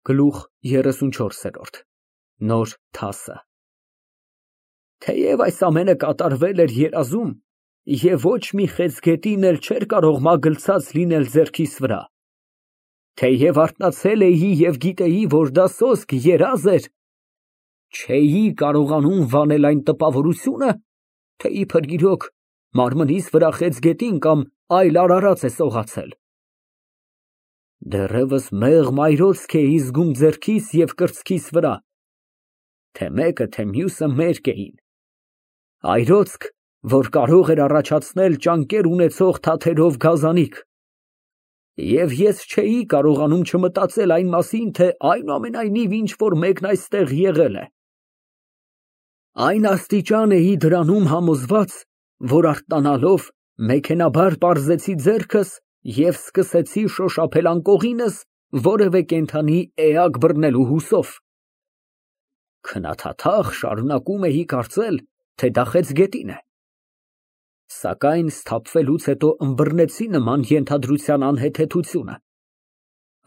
Գլուխ 34 Նոր թասը Թեև այս ամենը կատարվել էր երազում, և ոչ մի խեցգետին էլ չէր կարող մագլցած լինել ձեռքիս վրա, թեև արթնացել էի և գիտեի, որ դա սոսկ երազ էր, չէի կարողանում վանել այն տպավորությունը, թե իբր իրոք մարմնիս վրա խեցգետին կամ այլ արարած է սողացել։ Դեռևս մեղմ այրոցք էի զգում ձեռքիս և կրծքիս վրա, թե մեկը, թե մյուսը մերկ էին, այրոցք, որ կարող էր առաջացնել ճանկեր ունեցող թաթերով գազանիկ, և ես չէի կարողանում չմտածել այն մասին, թե այնուամենայնիվ ինչ֊որ մեկն այստեղ եղել է։ Այն աստիճան էի դրանում համոզված, որ արթնանալով մեքենայաբար պարզեցի ձեռքս և սկսեցի շոշափել անկողինս որևէ կենդանի էակ բռնելու հուսով։ Քնաթաթախ շարունակում էի կարծել, թե դա խեցգետին է, սակայն սթափվելուց հետո ըմբռնեցի նման ենթադրության անհեթեթությունը։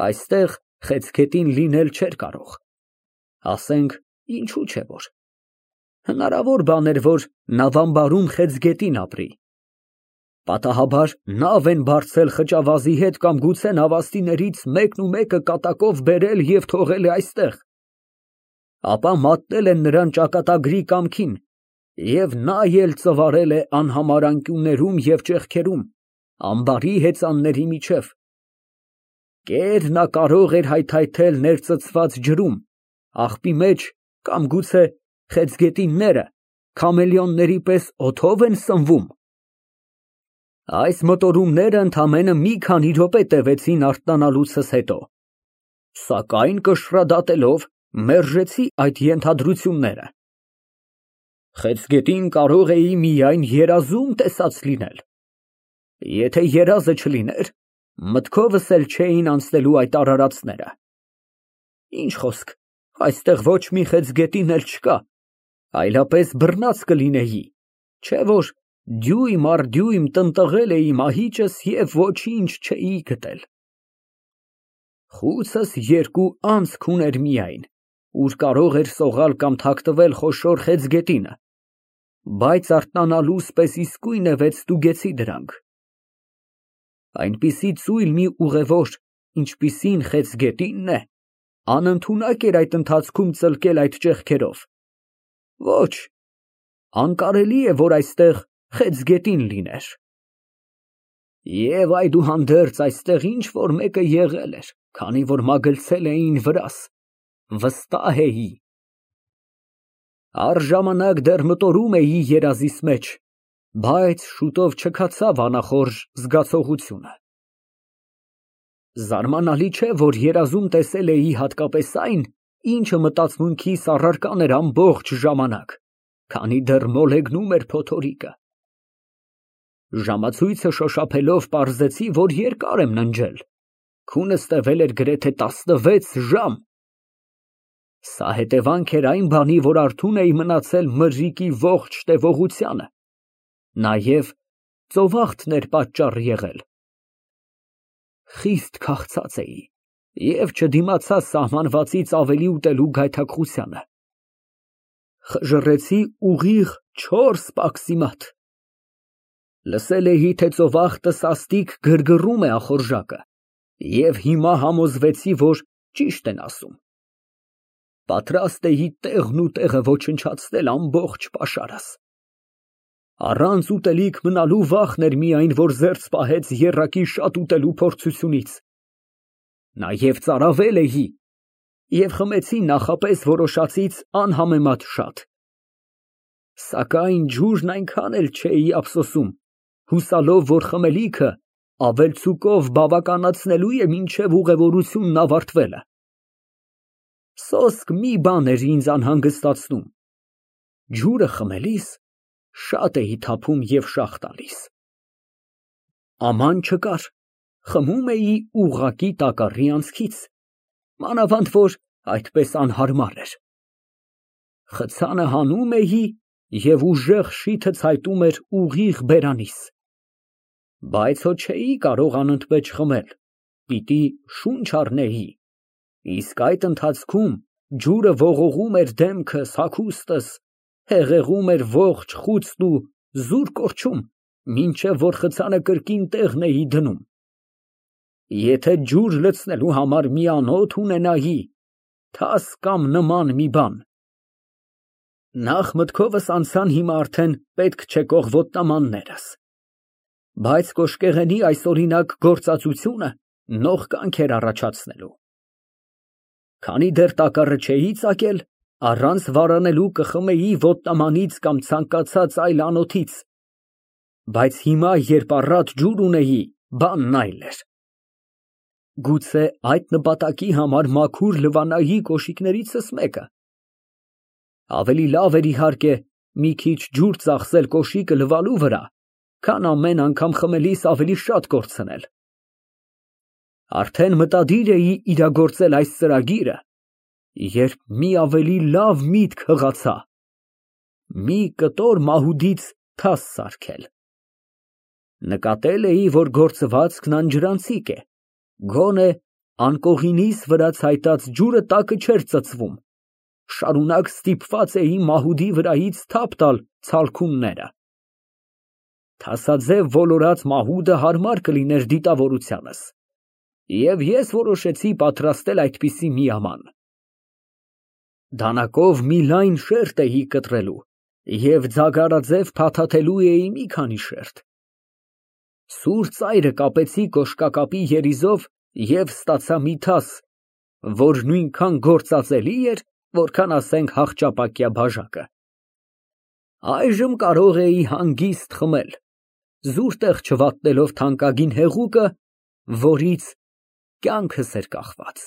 Այստեղ խեցգետին լինել չէր կարող, ասենք, ինչու չէ որ, հնարավոր բան էր, որ նավամբարում խեցգետին ապրի, պատահաբար նավ են բարձել խճավազի հետ կամ գուցե նավաստիներից մեկն ու մեկը կատակով բերել և թողել է այստեղ, ապա մատնել են նրան ճակատագրի կամքին և նա էլ ծվարել է անհամար անկյուններում և ճեղքերում, ամբարի հեծանների միջև, կեր նա կարող էր հայթայթել ներծծված ջրում, աղբի մեջ կամ գուցե խեցգետինները քամելեոնների պես օդո՞վ են սնվում։ Այս մտորումները ընդամենը մի քանի րոպե տևեցին արթնանալուցս հետո, սակայն կշռադատելով մերժեցի այդ ենթադրությունները։ Խեցգետին կարող էի միայն երազում տեսած լինել, եթե երազը չլիներ, մտքովս էլ չէին անցնելու այդ արարածները։ Ինչ խոսք, այստեղ ոչ մի խեցգետին էլ չկա, այլապես բռնած կլինեի, չէ՞ որ դյույմ առ դյույմ տնտղել էի մահիճս և ոչինչ չէի գտել։ Խուցս երկու անցք ուներ միայն, ուր կարող էր սողալ կամ թաքնվել խոշոր խեցգետինը, բայց արթնանալուս պես իսկույնևեթ ստուգեցի դրանք։ Այնպիսի ծույլ մի ուղևոր, ինչպիսին խեցգետինն է, անընդունակ էր այդ ընթացքում ծլկել այդ ճեղքերով։ Ոչ, անկարելի է, որ այստեղ խեցգետին լիներ։ Եվ այդուհանդերձ այստեղ ինչ֊որ մեկը եղել էր, քանի որ մագլցել էին վրաս, վստահ էի։ Առժամանակ դեռ մտորում էի երազիս մեջ, բայց շուտով չքացավ անախորժ զգացողությունը։ Զարմանալի չէ, որ երազում տեսել էի հատկապես այն, ինչը մտածմունքիս առարկան էր ամբողջ ժամանակ, քանի դեռ մոլեգնում էր փոթորիկը։ Ժամացույցը շոշափելով պարզեցի, որ երկար եմ ննջել, քունս տևել էր գրեթե 16 ժամ։ Սա հետևանք էր այն բանի, որ արթուն էի մնացել մրրիկի ողջ տևողությանը, նաև ծովախտն էր պատճառ եղել։ Խիստ քաղցած էի և չդիմացա սահմանվածից ավելի ուտելու գայթակղությանը։ Խժռեցի ուղիղ 4 պաքսիմատ։ Լսել էի, թե ծովախտը սաստիկ գրգռում է ախորժակը և հիմա համոզվեցի, որ ճիշտ են ասում։ Պատրաստ էի տեղն ու տեղը ոչնչացնել ամբողջ պաշարս։ Առանց ուտելիք մնալու վախն էր միայն, որ զերծ պահեց եռակի շատ ուտելու փորձությունից։ Նաև ծարավել էի և խմեցի նախապես որոշածից անհամեմատ շատ։ Սակայն ջուրն այնքան էլ չէի ափսոսում, հուսալով, որ խմելիքը ավելցուկով բավականացնելու է մինչև ուղևորությունն ավարտվելը։ Սոսկ մի բան էր ինձ անհանգստացնում, ջուրը խմելիս շատ էի թափում և շաղ տալիս։ Աման չկար, խմում էի ուղղակի տակառի անցքից, մանավանդ որ այդպես անհարմար էր։ Խցանը հանում էի և ուժեղ շիթը ցայտում էր ուղիղ բերանիս, բայց հո չէի կարող անընդմեջ խմել, պիտի շունչ առնեի, Իսկ այդ ընթացքում ջուրը ողողում էր դեմքս, հագուստս, հեղեղում էր ողջ խուցն ու զուր կորչում, մինչև որ խցանը կրկին տեղն էի դնում։ Եթե ջուր լցնելու համար մի անոթ ունենայի, թաս կամ նման մի բան, նախ մտքովս անցան հիմա արդեն պետք չեկող ոտնամաններս, բայց կոշկեղենի այսօրինակ գործածությունը նող կանք էր առաջացնելու։ Քանի դեռ տակառը չէի ծակել, առանց վարանելու կխմեի ոտնամանից կամ ցանկացած այլ անոթից, բայց հիմա, երբ առատ ջուր ունեի, բանն այլ էր։ Գուցե այդ նպատակի համար մաքուր լվանայի կոշիկներիցս մեկը։ Ավելի լավ էր իհարկե մի քիչ ջուր ծախսել կոշիկը լվալու վրա, քան ամեն անգամ խմելիս ավելի շատ կորցնել։ Արդեն մտադիր էի իրագործել այս ծրագիրը, երբ մի ավելի լավ միտք հղացա. մի կտոր մահուդից թաս սարքել։ Նկատել էի, որ գործվածքն անջրանցիկ է, գոնե անկողինիս վրա ցայտած ջուրը տակը չէր ծծվում, շարունակ ստիպված էի մահուդի վրայից թափ տալ ցալքունները։ Թասաձև ոլորած մահուդը հարմար կլիներ դիտավորությանս, և ես որոշեցի պատրաստել այդպիսի մի աման։ Դանակով մի լայն շերտ էի կտրելու և ձագարաձև փաթաթելու էի մի քանի շերտ։ Սուր ծայրը կապեցի կոշկակապի երիզով և ստացա մի թաս, որ նույնքան գործածելի էր, որքան, ասենք, հախճապակյա բաժակը։ Այժմ կարող էի հանգիստ խմել, զուր տեղ չվատնելով թանկագին հեղուկը, որից կյանքս էր կախված։